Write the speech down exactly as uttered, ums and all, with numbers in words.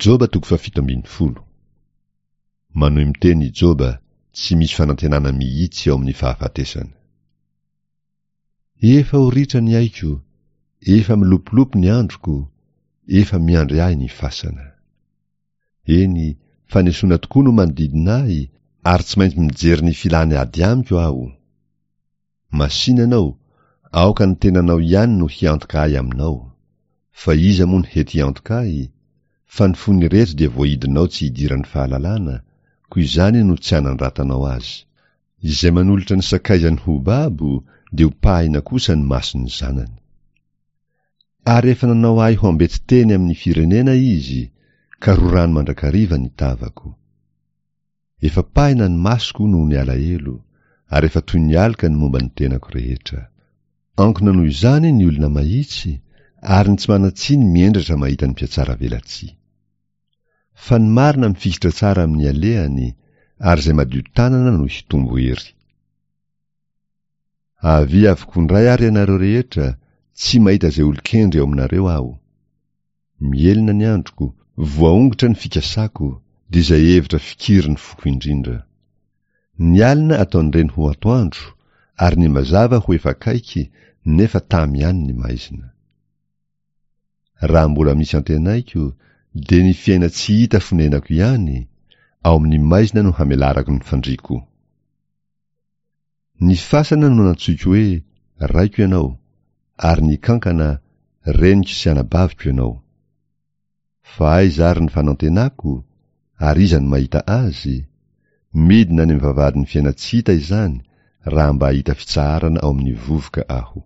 Joba toko fahafito ambin'ny folo. Manohy miteny i Joba, tsy misy fanantenana mihitsy ao amin'ny fahafatesana. Efa ho ritra ny aiko, efa milopilopy ny androko, efa miandry ahy ny fasana. Eny, fanesoana tokoa no manodidina ahy, ary tsy maintsy mijery ny filany ady amiko aho. Masina ianao, aoka ny tenanao ihany no hiantoka ahy aminao. Fa iza moa no hety hiantoka ahy? Fa ny fon'ireto dia voahidinao tsy hidiran'ny fahalalana, koa izany no tsy anandratanao azy. Izay manolotra ny sakaizany ho babo dia hopahina kosa ny mason'ny zanany. Ary efa nanao ahy ho ambetiteny amin'ny firenena izy, ka rorany mandrakariva ny tavako. Efa pahina ny masoko noho ny alahelo, ary efa toy ny aloka ny momba ny tenako rehetra. Ankona noho izany ny olona mahitsy, ary ny tsy manan-tsiny miendratra mahita ny mpihatsaravelatsihy. Fa ny marina mifikitra tsara amin'ny alehany, ary izay madio tanana no hitombo hery. Avia avokoa indray ary ianareo rehetra, tsy mahita izay olon-kendry ao aminareo aho. Mihelina ny androko, voaongotra ny fikasako, dia izay hevitra fikiry ny foko indrindra. Ny alina ataon'ireny ho atoandro, ary ny mazava ho efa akaiky, nefa tamy ihany ny maizina. Raha mbola misy antenaiko, dia ny fiaina tsy hita fonenako ihany, ao amin'ny maizina no hamelarako ny fandriako. Ny fasana no nantsoiko hoe raiko ianao, ary ny kankana, reniko sy anabaviko ianao. Fa aiza ary ny fanantenako, ary iza no mahita azy? Midina any amin'ny vavahadin'ny fiainan-tsy hita izany, raha mba hahita fitsaharana ao amin'ny vovoka aho.